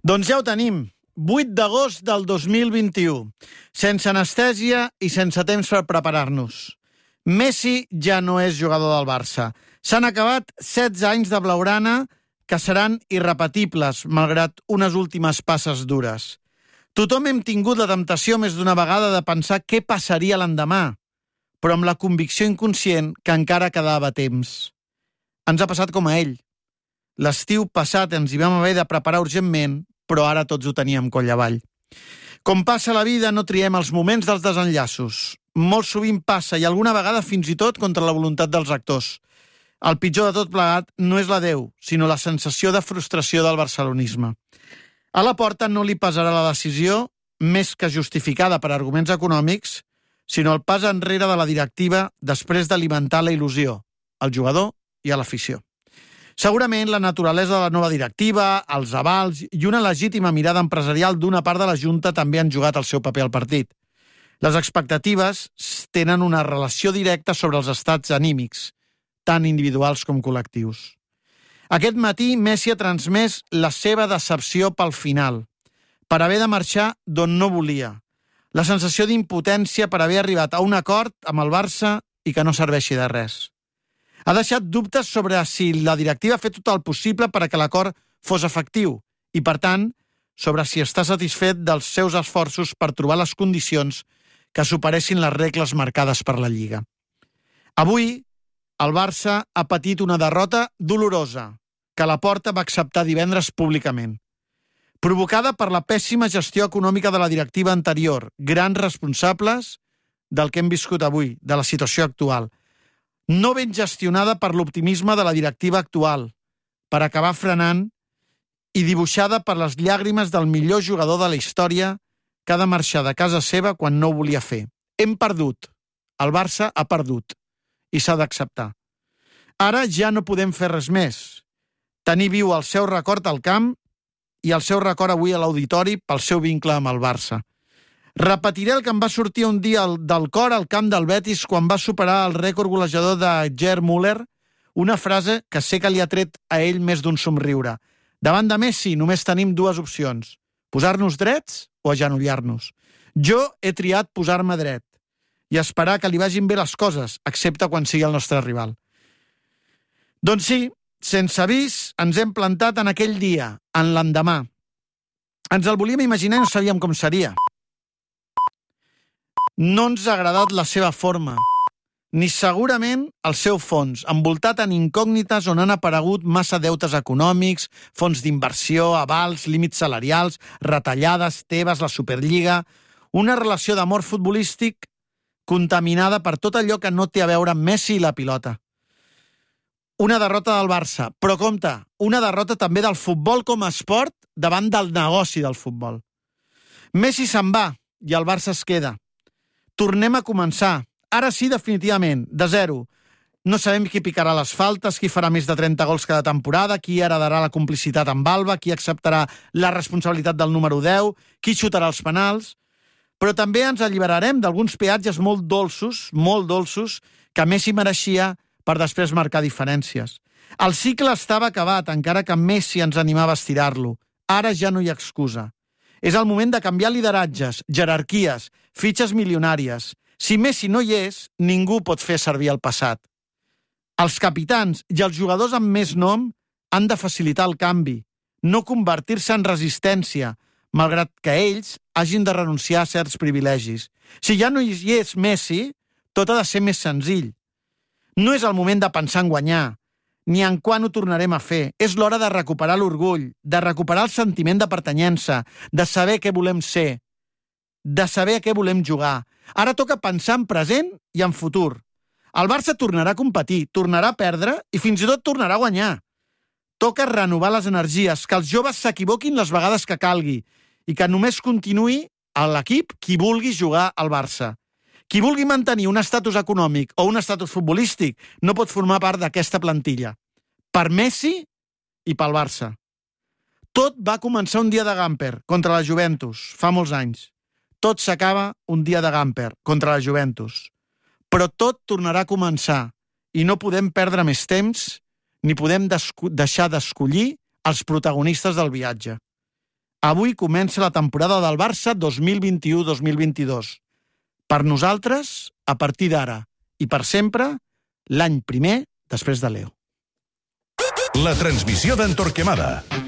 Doncs ja ho tenim. 8 d'agost del 2021. Sense anestèsia i sense temps per preparar-nos. Messi ja no és jugador del Barça. S'han acabat 16 anys de blaugrana que seran irrepetibles, malgrat unes últimes passes dures. Tothom hem tingut la temptació més d'una vegada de pensar què passaria l'endemà, però amb la convicció inconscient que encara quedava temps. Ens ha passat com a ell. L'estiu passat ens hi vam haver de preparar urgentment, però ara tots ho teníem coll avall. Com passa la vida, no triem els moments dels desenllaços. Molt sovint passa, i alguna vegada fins i tot contra la voluntat dels actors. El pitjor de tot plegat no és l'adeu, sinó la sensació de frustració del barcelonisme. A la porta no li pesarà la decisió, més que justificada per arguments econòmics, sinó el pas enrere de la directiva després d'alimentar la il·lusió, al jugador i a l'afició. Segurament la naturalesa de la nova directiva, els avals i una legítima mirada empresarial d'una part de la Junta també han jugat el seu paper al partit. Les expectatives tenen una relació directa sobre els estats anímics, tant individuals com col·lectius. Aquest matí Messi ha transmès la seva decepció pel final, per haver de marxar d'on no volia, la sensació d'impotència per haver arribat a un acord amb el Barça i que no serveixi de res. Ha deixat dubtes sobre si la directiva ha fet tot el possible perquè l'acord fos efectiu i, per tant, sobre si està satisfet dels seus esforços per trobar les condicions que superessin les regles marcades per la Lliga. Avui, el Barça ha patit una derrota dolorosa que Laporta va acceptar divendres públicament, provocada per la pèssima gestió econòmica de la directiva anterior, grans responsables del que hem viscut avui, de la situació actual, no ben gestionada per l'optimisme de la directiva actual, per acabar frenant i dibuixada per les llàgrimes del millor jugador de la història que ha de marxar de casa seva quan no ho volia fer. Hem perdut. El Barça ha perdut. I s'ha d'acceptar. Ara ja no podem fer res més. Tenir viu el seu record al camp i el seu record avui a l'auditori pel seu vincle amb el Barça. Repetiré el que em va sortir un dia del cor al camp del Betis quan va superar el rècord golejador de Gerd Müller, una frase que sé que li ha tret a ell més d'un somriure. Davant de Messi només tenim dues opcions, posar-nos drets o agenollar-nos. Jo he triat posar-me dret i esperar que li vagin bé les coses, excepte quan sigui el nostre rival. Doncs sí, sense avís, ens hem plantat en aquell dia, en l'endemà. Ens el volíem imaginar i no sabíem com seria. No ens ha agradat la seva forma, ni segurament el seu fons, envoltat en incògnites on han aparegut massa deutes econòmics, fons d'inversió, avals, límits salarials, retallades, Tebas, la Superliga, una relació d'amor futbolístic contaminada per tot allò que no té a veure amb Messi i la pilota. Una derrota del Barça, però compte, una derrota també del futbol com a esport davant del negoci del futbol. Messi se'n va i el Barça es queda. Tornem a començar. Ara sí, definitivament, de zero. No sabem qui picarà les faltes, qui farà més de 30 gols cada temporada, qui heredarà la complicitat amb Alba, qui acceptarà la responsabilitat del número 10, qui xutarà els penals. Però també ens alliberarem d'alguns peatges molt dolços, que Messi mereixia per després marcar diferències. El cicle estava acabat, encara que Messi ens animava a estirar-lo. Ara ja no hi ha excusa. És el moment de canviar lideratges, jerarquies, fitxes milionàries. Si Messi no hi és, ningú pot fer servir el passat. Els capitans i els jugadors amb més nom han de facilitar el canvi, no convertir-se en resistència, malgrat que ells hagin de renunciar a certs privilegis. Si ja no hi és Messi, tot ha de ser més senzill. No és el moment de pensar en guanyar, ni en quan ho tornarem a fer. És l'hora de recuperar l'orgull, de recuperar el sentiment de pertanyença, de saber què volem ser, de saber a què volem jugar. Ara toca pensar en present i en futur. El Barça tornarà a competir, tornarà a perdre i fins i tot tornarà a guanyar. Toca renovar les energies, que els joves s'equivoquin les vegades que calgui i que només continuï a l'equip qui vulgui jugar al Barça. Qui vulgui mantenir un estatus econòmic o un estatus futbolístic no pot formar part d'aquesta plantilla. Per Messi i pel Barça. Tot va començar un dia de Gamper contra la Juventus, fa molts anys. Tot s'acaba un dia de Gamper contra la Juventus. Però tot tornarà a començar i no podem perdre més temps ni podem deixar d'escollir els protagonistes del viatge. Avui comença la temporada del Barça 2021-2022. Per nosaltres, a partir d'ara i per sempre, l'any primer després de Leo. La transmissió d'en Torquemada.